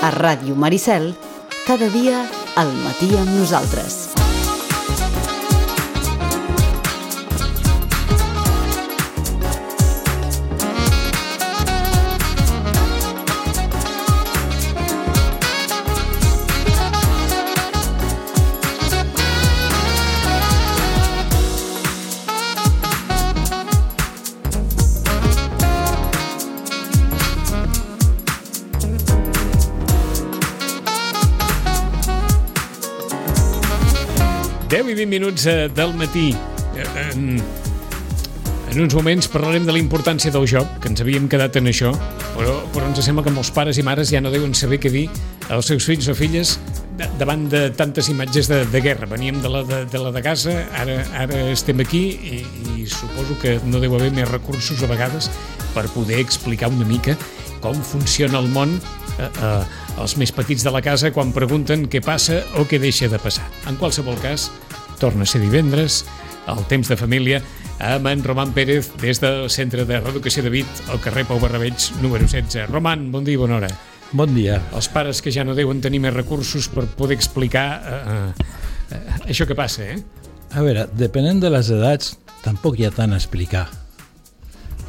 A Ràdio Maricel, cada dia al matí amb nosaltres. I 20 minuts del matí. En uns moments parlarem de la importància del joc, que ens havíem quedat en això, però ens sembla que molts pares i mares ja no deuen saber què dir als seus fills o filles davant de tantes imatges de guerra. Veníem de la de casa, ara estem aquí i suposo que no deu haver més recursos a vegades per poder explicar una mica com funciona el món als més petits de la casa quan pregunten què passa o què deixa de passar. En qualsevol cas, torna a ser divendres, el temps de família, amb en Roman Pérez des del Centre de Reeducació de Vic, al carrer Pau Barrabeig, número 16. Roman, bon dia i bona hora. Bon dia. Els pares que ja no deuen tenir més recursos per poder explicar això que passa, A veure, depenent de les edats, tampoc hi ha tant a explicar.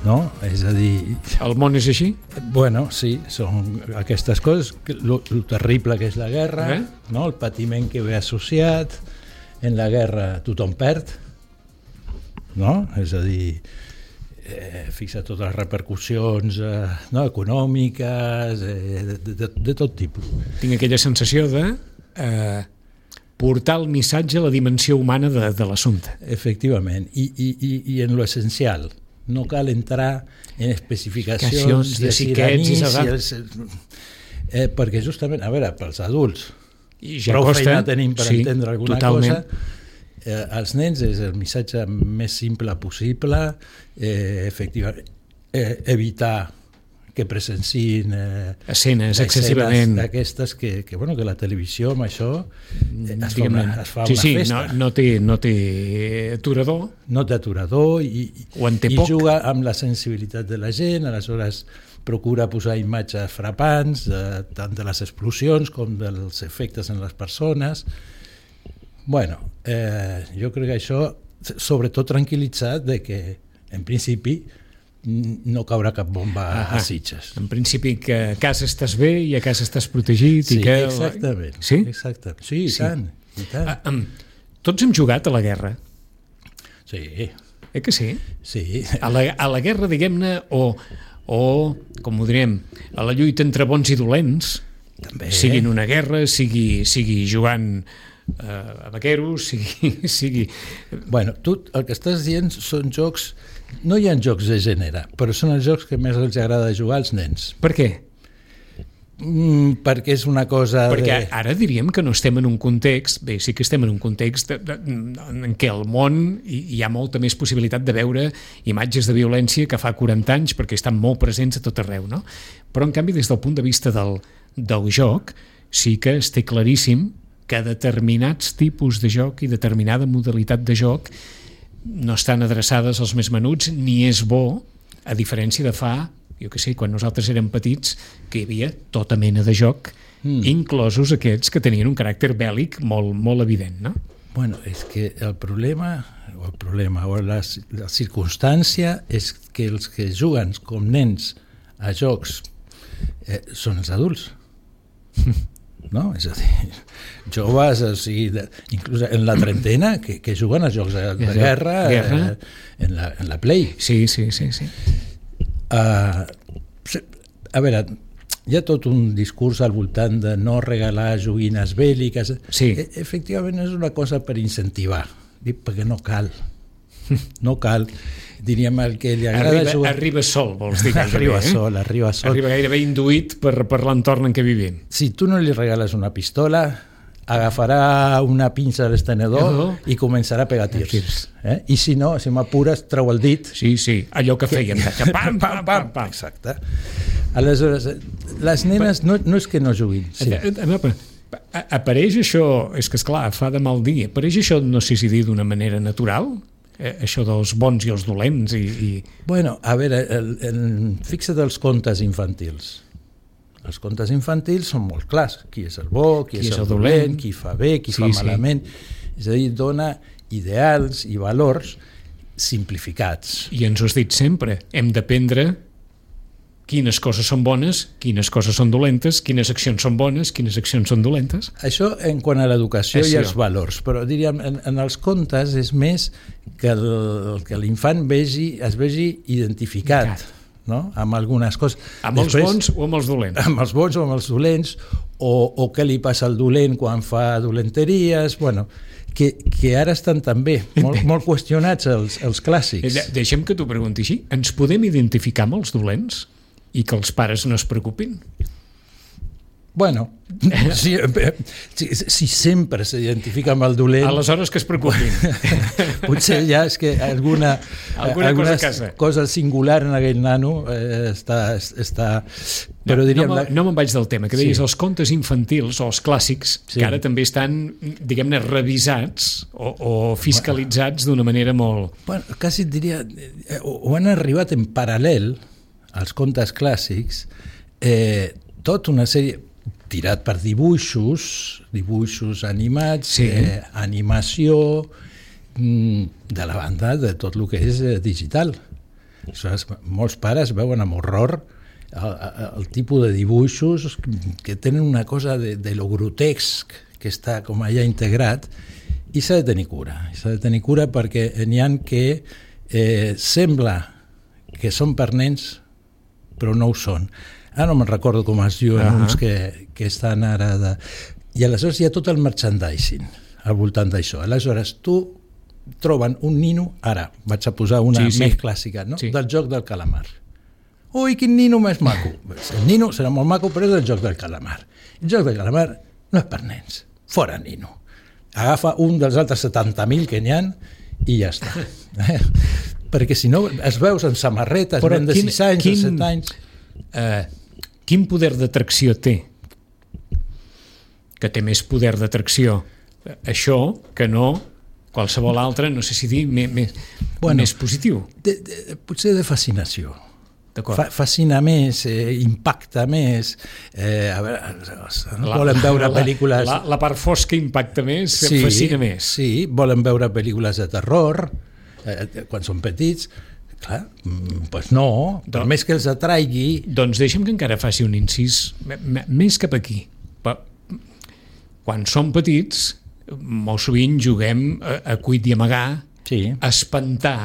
No? És a dir... El món és així? Bueno, sí, són aquestes coses, lo terrible que és la guerra, no? El patiment que ve associat, en la guerra tothom perd, no? És a dir, fixa totes les repercussions econòmiques, de tot tipus. Tinc aquella sensació de portar el missatge a la dimensió humana de l'assumpte. Efectivament, i en lo essencial. No cal entrar en especificacions de xiquets perquè justament, a veure, pels adults i ja prou costa, feina tenim per entendre alguna totalment. Cosa, als nens és el missatge més simple possible, efectivament, evitar que presencin escenes excessivament d'aquestes que la televisió amb això es fa una festa. No té aturador. No té aturador i juga amb la sensibilitat de la gent, aleshores procura posar imatges frapants, tant de les explosions com dels efectes en les persones. Bueno, jo crec que això, sobretot tranquil·litzat de que, en principi, no caurà cap bomba a Sitges. En principi que a casa estàs bé i a casa estàs protegit. Sí, i que... exactament. Sí? Exactament. Sí, i tant. Tots hem jugat a la guerra. Sí. Que sí? Sí. A la guerra, diguem-ne, o com ho direm, a la lluita entre bons i dolents, també. Sigui en una guerra, sigui jugant a vaqueros, sigui... Bueno, tu el que estàs dient són jocs... No hi ha jocs de gènere, però són els jocs que més els agrada jugar als nens. Per què? Perquè és una cosa... Perquè ara diríem que no estem en un context, bé, sí que estem en un context en què al món hi ha molta més possibilitat de veure imatges de violència que fa 40 anys, perquè estan molt presents a tot arreu, no? Però, en canvi, des del punt de vista del joc, sí que es té claríssim que determinats tipus de joc i determinada modalitat de joc no estan adreçades als més menuts, ni és bo, a diferència de fa, jo què sé, quan nosaltres érem petits, que hi havia tota mena de joc, inclosos aquests que tenien un caràcter bèl·lic molt, molt evident, no? Bueno, és que el problema o la circumstància és que els que juguen com nens a jocs són els adults. No? És a dir, joves, o sigui, inclús en la trentena, que juguen a jocs de guerra en la Play. Sí. A veure, hi ha tot un discurs al voltant de no regalar joguines bèl·liques. Sí. Efectivament, és una cosa per incentivar, perquè no cal. No cal. Diríem el que li agrada jugar... Arriba sol, vols dir gairebé. Arriba sol. Arriba gairebé induït per l'entorn en què vivim. Si tu no li regales una pistola, agafarà una pinça de l'estenedor i començarà a pegar tirs. I si no, si m'apures, treu el dit. Sí, allò que fèiem. Pam, pam, pam, pam. Exacte. Aleshores, les nenes no és que no juguin. Sí. Apareix això, és que esclar, fa de mal dir, apareix això, no sé si dir d'una manera natural, això dels bons i els dolents i... Bueno, a veure, fixa't els contes infantils. Els contes infantils són molt clars. Qui és el bo, qui és el dolent, qui fa bé, qui fa malament. És a dir, dona ideals i valors simplificats. I ens ho has dit sempre, hem d'aprendre quines coses són bones, quines coses són dolentes, quines accions són bones, quines accions són dolentes. Això en quant a l'educació i els valors, però diríem, en els contes és més que l'infant es vegi identificat, no? Amb algunes coses. Amb els bons o amb els dolents? Amb els bons o amb els dolents, o què li passa al dolent quan fa dolenteries, bueno, que ara estan també molt qüestionats els clàssics. Deixem que t'ho pregunti així. Ens podem identificar amb els dolents? I que els pares no es preocupin? Bueno, si sempre s'identifica amb el dolent... Aleshores que es preocupin. Potser ja és que alguna cosa singular en aquell nano està... Però diríem... No me'n vaig del tema, que deies els contes infantils o els clàssics, que ara també estan, diguem-ne, revisats o fiscalitzats d'una manera molt... Bueno, quasi et diria... Ho han arribat en paral·lel als contes clàssics, tota una sèrie tirat per dibuixos animats, animació, de la banda de tot el que és digital. Molts pares veuen amb horror el tipus de dibuixos que tenen una cosa de lo grotesc que està com allà integrat, i s'ha de tenir cura. S'ha de tenir cura perquè n'hi ha que sembla que són per nens, però no ho són. Ara no me'n recordo com es diuen uns que estan ara... I aleshores hi ha tot el merchandising al voltant d'això. Aleshores, tu troben un nino, ara vaig a posar una més clàssica, no? Del joc del calamar. Ui, quin nino més maco! El nino serà molt maco, però és el joc del calamar. El joc del calamar no és per nens. Fora nino. Agafa un dels altres 70.000 que n'hi ha i ja està. Perquè si no es veus en samarretes de 6 anys, de 7 anys... Quin poder d'atracció té? Que té més poder d'atracció això que no qualsevol altre, no sé si dir, més positiu. Potser de fascinació. Fascina més, impacta més. A veure, volen veure pel·lícules... La part fosca impacta més, fascina més. Sí, volen veure pel·lícules de terror quan són petits. Clar, doncs no, per més que els atraigui... Doncs deixa'm que encara faci un incís més cap aquí. Quan som petits, molt sovint juguem a cuit i amagar, a espantar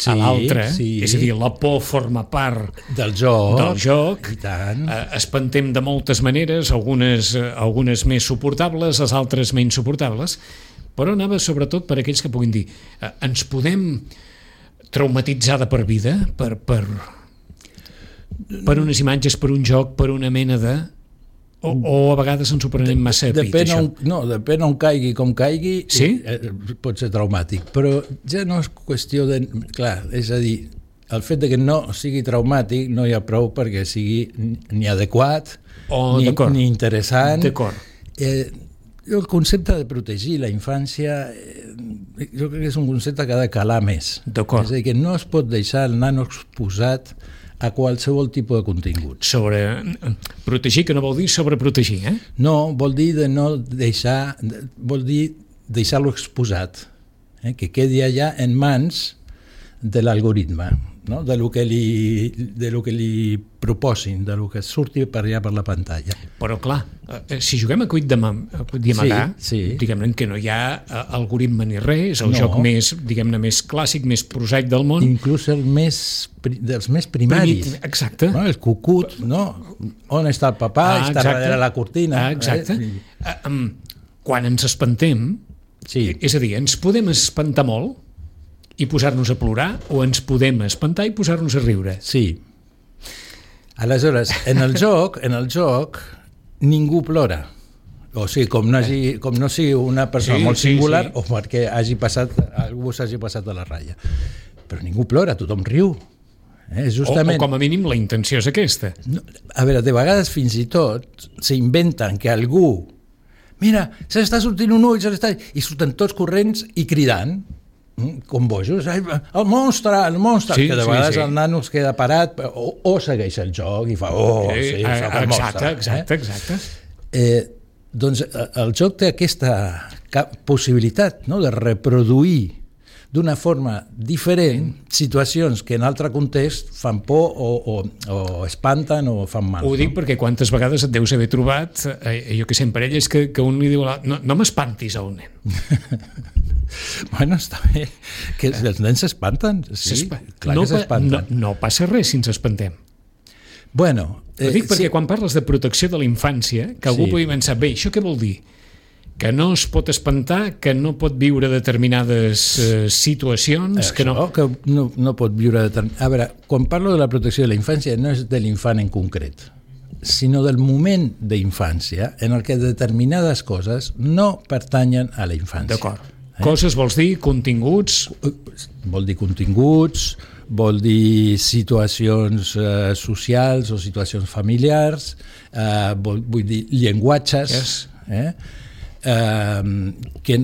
a l'altre, és a dir, la por forma part del joc. I tant. Espantem de moltes maneres, algunes més suportables, les altres menys suportables, però anava sobretot per aquells que puguin dir ens podem traumatitzada per vida, per unes imatges, per un joc, per una mena de... O a vegades ens ho prenem massa a pit, això. Depèn on caigui, com caigui, pot ser traumàtic, però ja no és qüestió de... Clar, és a dir, el fet de que no sigui traumàtic no hi ha prou perquè sigui ni adequat, ni interessant. D'acord. El concepte de protegir la infància jo crec que és un concepte que ha de calar més. D'acord. És a dir, que no es pot deixar el nano exposat a qualsevol tipus de contingut. Protegir, que no vol dir sobreprotegir, eh? No, vol dir de no deixar, vol dir deixar-lo exposat, que quedi allà en mans de l'algoritme, no? de lo que li proposin, de lo que surti per allà per la pantalla. Però clar, si juguem a cuit d'amagar, diguem-ne que no hi ha algoritme ni res, és el joc més, diguem-ne, més clàssic, més prosaic del món. Inclús dels més primaris. Exacte. No? El cucut, no? On està el papà? Està darrere la cortina. Exacte. Quan ens espantem, és a dir, ens podem espantar molt i posar-nos a plorar, o ens podem espantar i posar-nos a riure. Sí. Aleshores, en el joc ningú plora. O sigui, com no sigui una persona molt singular o perquè algú s'hagi passat a la ratlla. Però ningú plora, tothom riu. Justament... O com a mínim la intenció és aquesta. A veure, de vegades fins i tot s'inventen que algú... Mira, se l'està sortint un ull, i surten tots corrents i cridant. com bojos, el monstre, sí, que de vegades el nano es queda parat o segueix el joc i fa el monstre. Exacte. Doncs el joc té aquesta possibilitat, no?, de reproduir d'una forma diferent situacions que en altre context fan por o espanten o fan mal. Ho dic perquè quantes vegades et deus haver trobat, jo que sé, en parelles que un li diu no m'espantis a un nen. Bueno, està bé, que els nens s'espanten, sí, clar que s'espanten. No passa res si ens espantem. Bueno, ho dic perquè quan parles de protecció de la infància, que algú pugui pensar, bé, això què vol dir? Que no es pot espantar, que no pot viure determinades situacions... Que no pot viure... A veure, quan parlo de la protecció de la infància no és de l'infant en concret, sinó del moment d'infància en el que determinades coses no pertanyen a la infància. D'acord. Coses vols dir? Continguts? Vol dir continguts, vol dir situacions socials o situacions familiars, vull dir llenguatges... que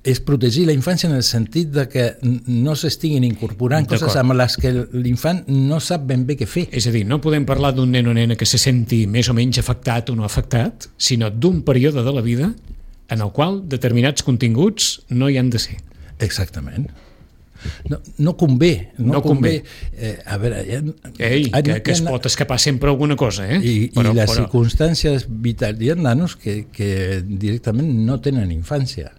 és protegir la infància en el sentit de que no s'estiguin incorporant coses amb les que l'infant no sap ben bé què fer. És a dir, no podem parlar d'un nen o nena que se senti més o menys afectat o no afectat, sinó d'un període de la vida en el qual determinats continguts no hi han de ser. Exactament. No convé. A veure... que es pot escapar sempre alguna cosa, I les circumstàncies vitals. Hi ha nanos que directament no tenen infància.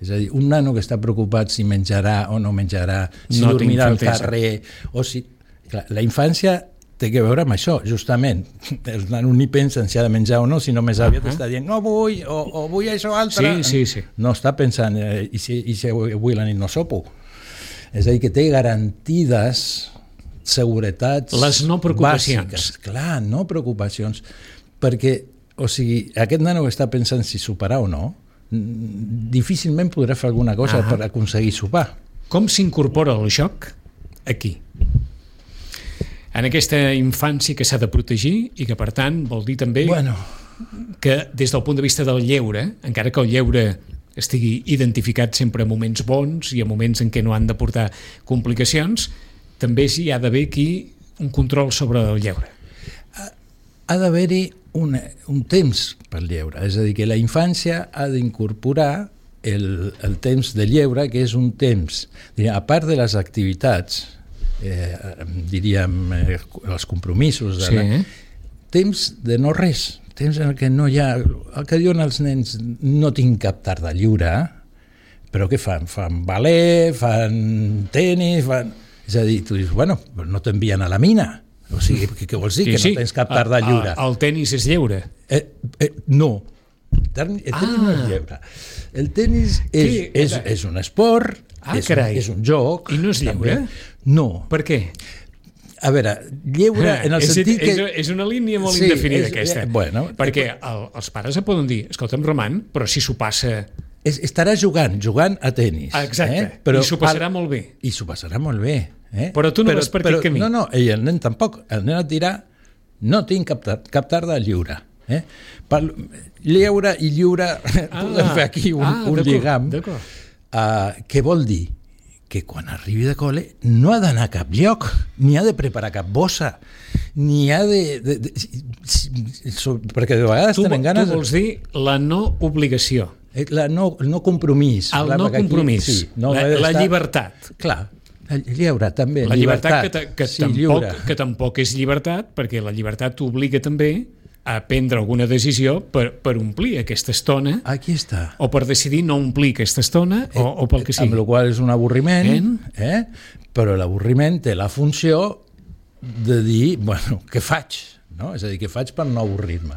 És a dir, un nano que està preocupat si menjarà o no menjarà, si dormirà al carrer, o si... Clar, la infància té que veure amb això, justament. El nano ni pensa si ha de menjar o no, sinó més aviat està dient no vull, o vull això altre. Sí. No està pensant, i si avui la nit no sopo. És a dir, que té garantides seguretats les no preocupacions bàsiques. Clar, no preocupacions, perquè, o sigui, aquest nano que està pensant si soparà o no, difícilment podrà fer alguna cosa per aconseguir sopar. Com s'incorpora el joc aquí? En aquesta infància que s'ha de protegir i que, per tant, vol dir també que des del punt de vista del lleure, encara que el lleure estigui identificat sempre a moments bons i a moments en què no han de portar complicacions, també hi ha d'haver aquí un control sobre el lleure. Ha d'haver-hi un temps per lleure, és a dir, que la infància ha d'incorporar el temps de lleure, que és un temps, a part de les activitats, diríem, els compromisos, temps de no res, temps en què no hi ha... El que diuen els nens, no tinc cap tarda lliure, però què fan? Fan ballet, fan tenis, És a dir, tu dius, bueno, no t'envien a la mina. O sigui, què vols dir? Que no tens cap tarda lliure. El tenis és lleure? No. El tenis no és lleure. El tenis és un esport, és un joc. I no és lleure? No. Per què? A veure, lleure en el sentit que... És una línia molt indefinida aquesta. Perquè els pares poden dir, escolta'm, Roman, però si s'ho passa... Estarà jugant a tenis. Exacte, i s'ho passarà molt bé. I s'ho passarà molt bé. Però tu no vas per aquest camí. No, i el nen tampoc. El nen et dirà, no tinc cap tarda lliure. Lleure i lliure, podem fer aquí un lligam. Què vol dir? Que quan arribi de col·le no ha d'anar a cap lloc, ni ha de preparar cap bossa, ni ha de perquè de vegades tenen ganes... Tu vols dir la no obligació. El no compromís. El no compromís, la llibertat. Clar, el lleure també. La llibertat que tampoc és llibertat, perquè la llibertat t'obliga també a prendre alguna decisió per omplir aquesta estona. Aquí està. O per decidir no omplir aquesta estona o pel que sigui. Amb la qual és un avorriment, però l'avorriment té la funció de dir, bueno, què faig? No? És a dir, què faig per no avorrir-me?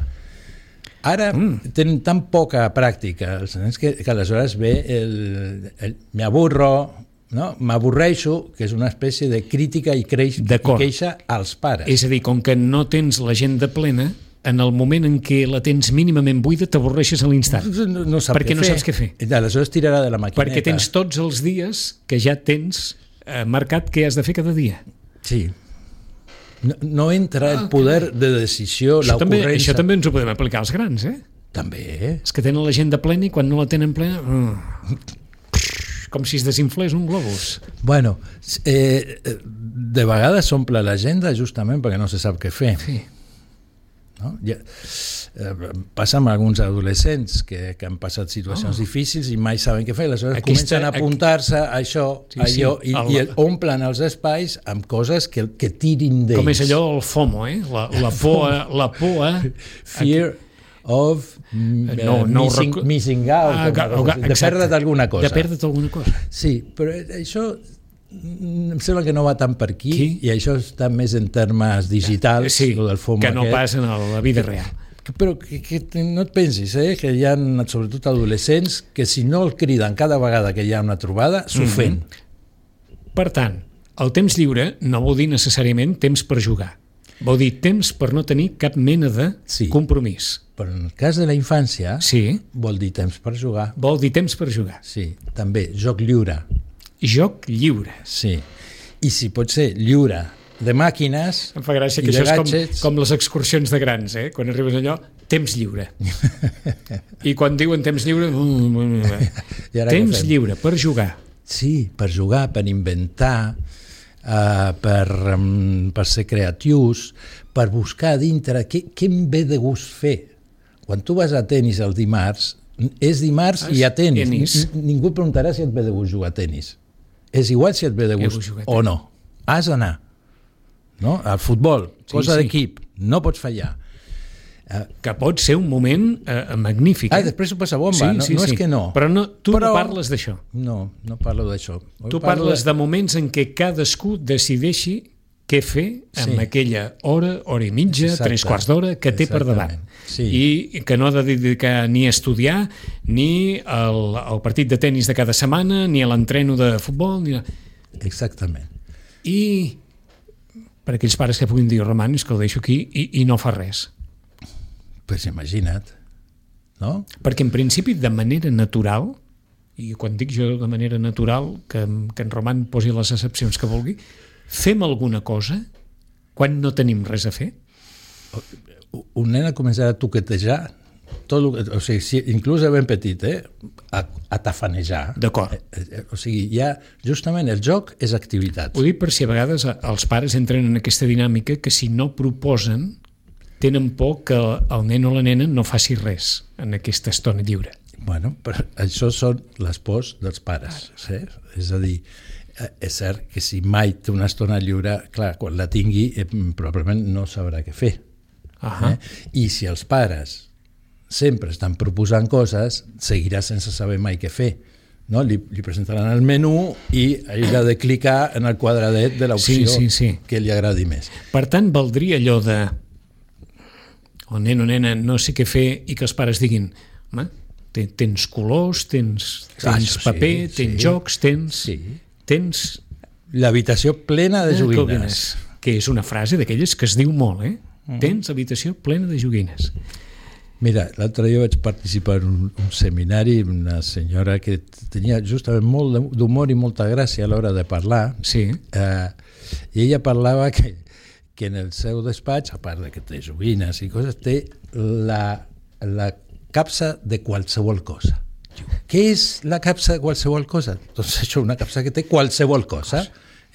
Ara tenen tan poca pràctica els nens que aleshores ve me aburro, no? M'avorreixo, que és una espècie de crítica i queixa als pares. És a dir, com que no tens l'agenda plena, en el moment en què la tens mínimament buida t'avorreixes a l'instant, perquè no saps què fer. Aleshores tirarà de la maquineta. Perquè tens tots els dies que ja tens marcat què has de fer cada dia. Sí. No entra el poder de decisió, l'ocurrència... Això també ens ho podem aplicar als grans, També. Els que tenen l'agenda plena i quan no la tenen plena... com si es desinflés un globus. Bueno, de vegades s'omple l'agenda justament perquè no se sap què fer. Sí. No? Passa amb alguns adolescents que han passat situacions difícils i mai saben què fer, aleshores comencen a apuntar-se a això, allò, i omplen els espais amb coses que tirin d'ells. Com és allò el FOMO, la por a... Fear of missing out, de perdre't alguna cosa. De perdre't alguna cosa. Sí, però això em sembla que no va tant per aquí i això està més en termes digitals, del FOMO que no passa en la vida real. Però que no et pensis, que hi ha sobretot adolescents que si no el criden cada vegada que hi ha una trobada, s'ofèn. Per tant, el temps lliure no vol dir necessàriament temps per jugar. Vol dir temps per no tenir cap mena de compromís. Però en el cas de la infància vol dir temps per jugar. Vol dir temps per jugar. Sí, també, joc lliure. Joc lliure. Sí, i si pot ser lliure de màquines. Em fa gràcia que això és com les excursions de grans, quan arribes allò, temps lliure. I quan diuen temps lliure, temps lliure per jugar. Sí, per jugar, per inventar, per ser creatius, per buscar a dintre què em ve de gust fer. Quan tu vas a tennis el dimarts, és dimarts i a tennis. Ningú et preguntarà si et ve de gust jugar a tennis. És igual si et ve de gust o no. Has d'anar. No? Al futbol, cosa d'equip, no pots fallar. Que pot ser un moment magnífic. Després ho passa bomba, no és que no. Però tu no parles d'això. No parlo d'això. Tu parles de moments en què cadascú decideixi què fer amb aquella hora i mitja, 3/4 d'hora que té per davant. I que no ha de dedicar ni a estudiar, ni al partit de tennis de cada setmana, ni a l'entreno de futbol. Exactament. I per aquells pares que puguin dir, Roman, és que el deixo aquí i no fa res. Pues imagina't, no? Perquè en principi de manera natural, i quan dic jo de manera natural, que en Roman posi les excepcions que vulgui, fem alguna cosa quan no tenim res a fer? Un nen ha començat a toquetejar, inclús de ben petit, a tafanejar. D'acord. O sigui, ja justament el joc és activitat. Ho dic per si a vegades els pares entren en aquesta dinàmica que si no proposen tenen por que el nen o la nena no faci res en aquesta estona lliure. Bueno, però això són les pors dels pares. És a dir, és cert que si mai té una estona lliure, clar, quan la tingui probablement no sabrà què fer. I si els pares sempre estan proposant coses, seguirà sense saber mai què fer. No? Li presentaran el menú i ell ha de clicar en el quadradet de l'opció que li agradi més. Per tant, valdria allò de el nen o nena no sé què fer i que els pares diguin tens colors, tens paper, tens jocs, tens l'habitació plena de joguines. Que és una frase d'aquelles que es diu molt, tens habitació plena de joguines. Mira, l'altre dia vaig participar en un seminari amb una senyora que tenia justament molt d'humor i molta gràcia a l'hora de parlar. I ella parlava que en el seu despatx, a part de que té joguines i coses, té la capsa de qualsevol cosa. Què és la capsa de qualsevol cosa? Doncs això, una capsa que té qualsevol cosa.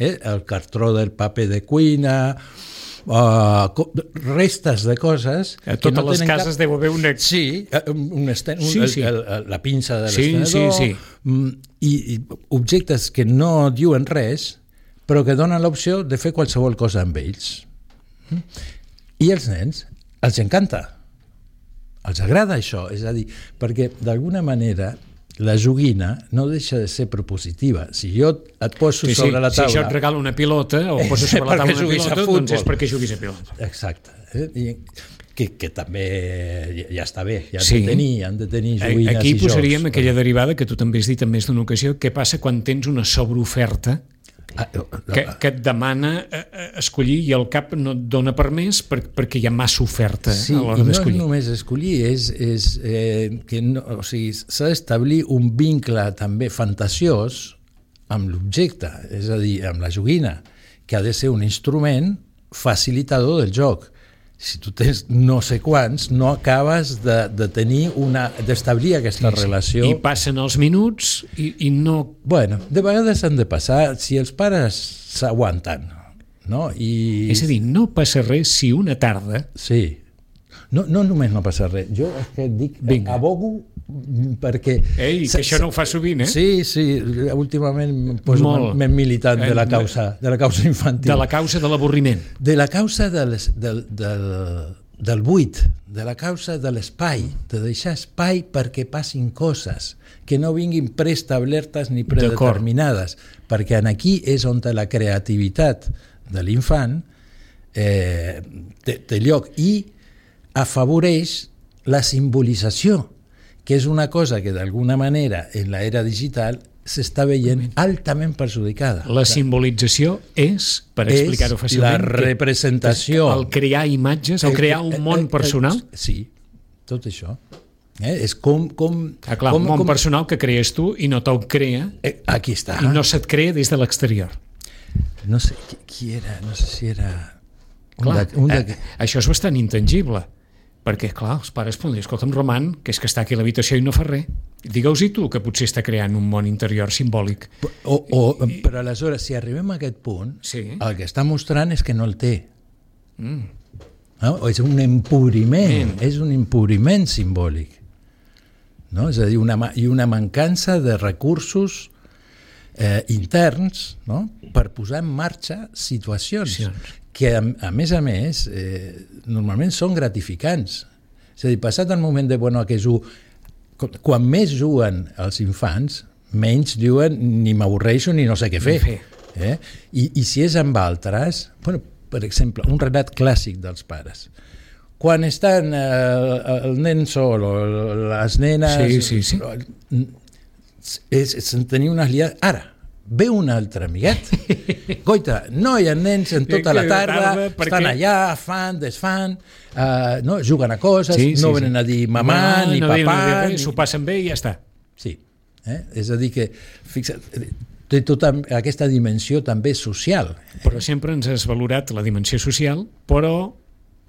El cartró del paper de cuina, restes de coses. A totes les cases deu haver una... Sí, la pinça de l'estenedor, i objectes que no diuen res, però que donen l'opció de fer qualsevol cosa amb ells. I els nens els encanta, els agrada això, és a dir, perquè d'alguna manera la joguina no deixa de ser propositiva. Si jo et poso sobre la taula... Si jo et regalo una pilota o poso sobre la taula una pilota, doncs és perquè juguis a pilota. Exacte. Que també ja està bé, han de tenir joguines i jocs. Aquí posaríem aquella derivada que tu també has dit en més d'una ocasió, què passa quan tens una sobreoferta que et demana escollir i el cap no et dona per més perquè hi ha massa oferta a l'hora d'escollir. I no és només escollir, és que s'ha d'establir un vincle també fantasiós amb l'objecte, és a dir, amb la joguina, que ha de ser un instrument facilitador del joc. si tu tens no sé quants, no acabes de tenir d'establir aquesta relació. I passen els minuts i no... Bueno, de vegades han de passar si els pares s'aguanten, no? És a dir, no passa res si una tarda... Sí. No només no passa res. Jo és que dic, abogo perquè... Ei, que això no ho fa sovint, eh? Sí, últimament em poso més militant de la causa infantil. De la causa de l'avorriment. De la causa del buit, de la causa de l'espai, de deixar espai perquè passin coses, que no vinguin preestablertes ni predeterminades, perquè aquí és on la creativitat de l'infant té lloc i afavoreix la simbolització, que és una cosa que d'alguna manera en l'era digital s'està veient altament perjudicada. La simbolització és, per explicar-ho fàcilment, la representació, el crear imatges, el crear un món personal. Sí, tot això. És com un món personal que crees tu i no te'l crea. Aquí està. I no se't crea des de l'exterior. No sé qui era, no sé si era... Clar, això és bastant intangible. Perquè, clar, els pares poden dir, escolta'm, Roman, que és que està aquí a l'habitació i no fa res. Digueu-hi tu que potser està creant un món interior simbòlic. Però aleshores, si arribem a aquest punt, el que està mostrant és que no el té. No? És un empobriment, és un empobriment simbòlic. No? És a dir, una mancança de recursos interns, no? Per posar en marxa situacions que a més normalment són gratificants. És a dir, passat el moment de quan més juguen els infants, menys diuen ni m'avorreixo ni no sé què fer. I si és amb altres, per exemple, un relat clàssic dels pares. Quan estan el nen sol o les nenes... se'n tenia unes liades... Ara, ve un altre amiguet, goita, no hi ha nens en tota la tarda, estan allà, fan, desfan, juguen a coses, no venen a dir mamà ni papà, s'ho passen bé i ja està. Sí, és a dir que, fixa't, té tota aquesta dimensió també social. Però sempre ens has valorat la dimensió social, però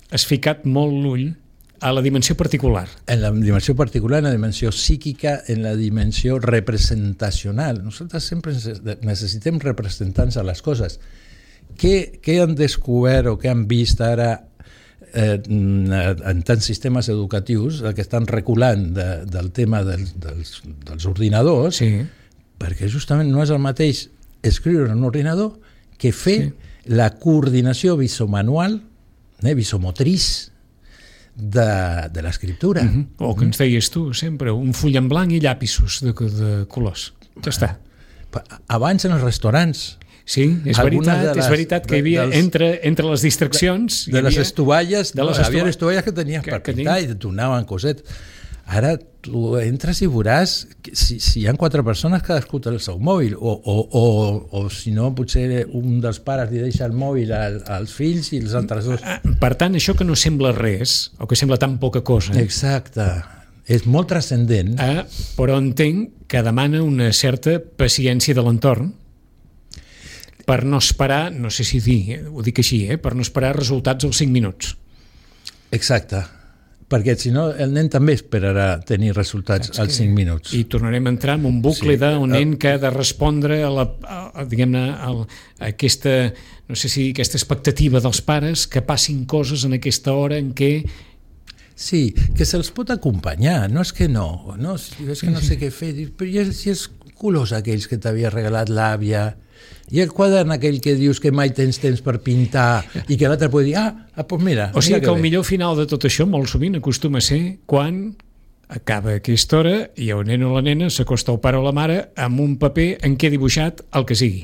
has ficat molt l'ull a la dimensió particular. En la dimensió particular, en la dimensió psíquica, en la dimensió representacional. Nosaltres sempre necessitem representants a les coses. Què han descobert o què han vist ara en tants sistemes educatius que estan reculant del tema dels ordinadors, perquè justament no és el mateix escriure en un ordinador que fer la coordinació visomanual, visomotriç, de l'escriptura. O que ens deies tu sempre, un full en blanc i llapisos de colors. Ja està. Abans en els restaurants. Sí, és veritat que hi havia entre les distraccions... De les estovalles, hi havia estovalles que tenies per pintar i et donaven cosetes. Ara tu entres i veuràs si hi ha 4 persones, cadascú té el seu mòbil, o si no, potser un dels pares li deixa el mòbil als fills i els altres dos. Per tant, això que no sembla res, o que sembla tan poca cosa... Exacte, és molt transcendent. Però entenc que demana una certa paciència de l'entorn per no esperar, no sé si dir, ho dic així, per no esperar resultats als 5 minuts. Exacte. Perquè si no el nen també esperarà tenir resultats als 5 minuts. I tornarem a entrar en un bucle d'un nen que ha de respondre diguem-ne, a aquesta, no sé si aquesta expectativa dels pares que passin coses en aquesta hora en què... Sí, que se'ls pot acompanyar, no és que no, és que no sé què fer, però si els colors aquells que t'havia regalat l'àvia, i el quadern aquell que dius que mai tens temps per pintar i que l'altre pot dir, doncs mira... O sigui que el millor final de tot això molt sovint acostuma a ser quan acaba aquesta hora i el nen o la nena s'acosta al pare o la mare amb un paper en què ha dibuixat el que sigui.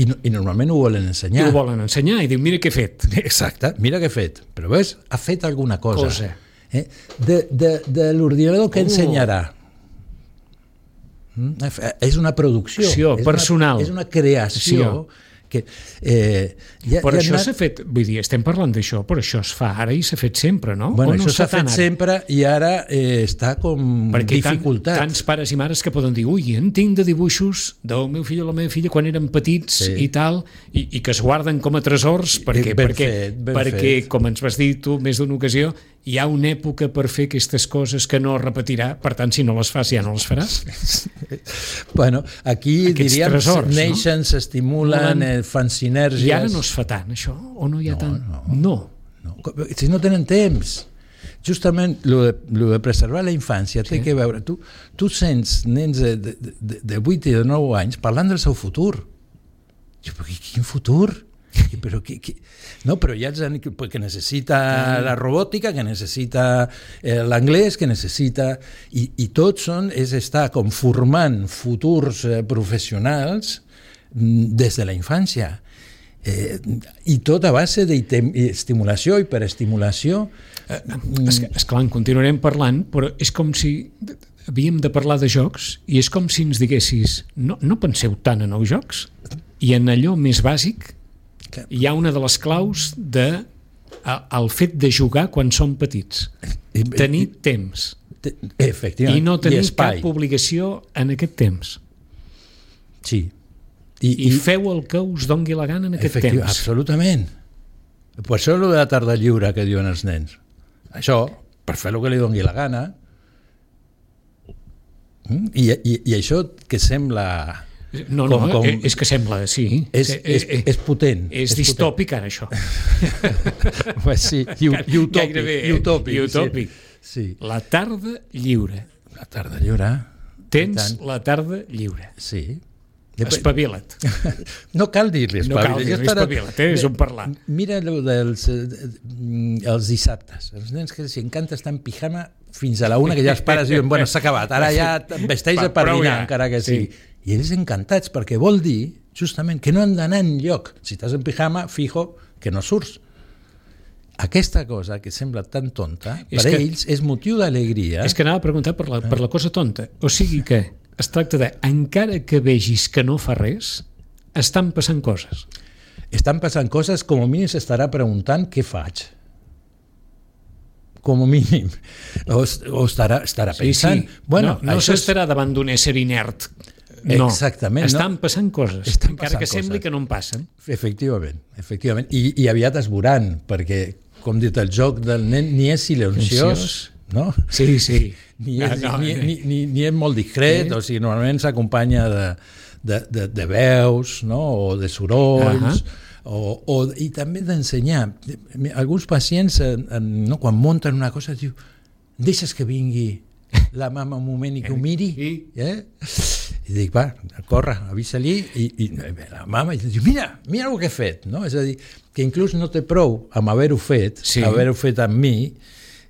I normalment ho volen ensenyar. I ho volen ensenyar i diu, mira què he fet. Exacte, mira què he fet. Però ves, ha fet alguna cosa. De l'ordinador que ensenyarà. És una producció personal. És una creació Però això s'ha fet, vull dir, estem parlant d'això, però això es fa ara i s'ha fet sempre, no? Bueno, això s'ha fet sempre i ara està com dificultat. Tants pares i mares que poden dir, ui, en tinc de dibuixos del meu fill o la meva filla quan eren petits i tal, i que es guarden com a tresors, perquè com ens vas dir tu més d'una ocasió, hi ha una època per fer aquestes coses que no es repetirà, per tant, si no les fas, ja no les faràs. Bueno, aquí aquests diríem, tresors, neixen, s'estimulen, fan sinergies... I ara no es fa tant, això? O no hi ha tant? No. Si no tenen temps. Justament, lo de preservar la infància té que veure... Tu sents nens de 8 i de 9 anys parlant del seu futur. Però quin futur? No, però hi ha gent que necessita la robòtica, que necessita l'anglès, que necessita... I tot és estar com formant futurs professionals des de la infància. I tot a base d'estimulació i hiperestimulació. Esclar, en continuarem parlant, però és com si havíem de parlar de jocs i és com si ens diguessis no penseu tant en els jocs i en allò més bàsic hi ha una de les claus el fet de jugar quan som petits. Tenir temps. Efectivament. I no tenir cap obligació en aquest temps. Sí. I feu el que us dongui la gana en aquest temps. Absolutament. Per això és de la tarda lliure que diuen els nens. Això, per fer el que li dongui la gana. I això que sembla... No, és que sembla, sí. És potent. És distòpic, ara, això. Sí, i utòpic. Sí. La tarda lliure. La tarda lliure. Tens la tarda lliure. Sí. Espavila't. No cal dir-li espavila't. No cal dir-li espavila't, és un parlar. Mira els dissabtes. Els nens que els encanta estar en pijama fins a la una, que ja els pares diuen, bueno, s'ha acabat, ara ja vesteix per dinar, encara que sí. I ells encantats, perquè vol dir justament que no han d'anar enlloc. Si estàs en pijama, fijo que no surts. Aquesta cosa que sembla tan tonta, per ells és motiu d'alegria. És que anava a preguntar per la cosa tonta. O sigui que es tracta de, encara que vegis que no fa res, estan passant coses. Estan passant coses, com a mínim s'estarà preguntant què faig. Com a mínim. O estarà pensant... Sí. Bueno, no s'estarà davant d'un ésser inert. No, exactament, estan passant coses, encara que sembli que no en passen. Efectivament. I aviat es veuran, perquè, com dit, el joc del nen ni és silenciós, no? Sí. Ni és molt discret, o sigui, normalment s'acompanya de veus, no? O de sorolls, i també d'ensenyar. Alguns pacients, quan munten una cosa, diu, deixes que vingui la mama un moment i que ho miri, i dic, va, corre, avisa-li, i la mama diu, mira el que he fet, no? És a dir, que inclús no té prou amb haver-ho fet, haver-ho fet amb mi,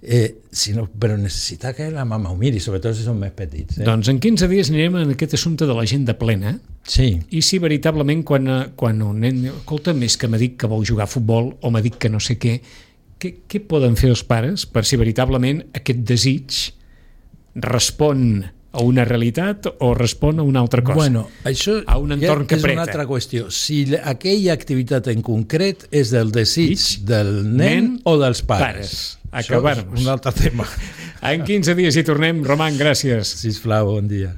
però necessita que la mama ho miri, sobretot si són més petits. Doncs en 15 dies anirem en aquest assumpte de l'agenda plena, i si veritablement quan un nen diu, escolta, més que m'ha dit que vol jugar a futbol o m'ha dit que no sé què poden fer els pares per si veritablement aquest desig respon a una realitat o respon a una altra cosa? Bueno, això a un entorn que és una altra qüestió. Si aquella activitat en concret és del desig del nen o dels pares. Acabar-nos. Un altre tema. En 15 dies hi tornem. Roman, gràcies. Sisplau, bon dia.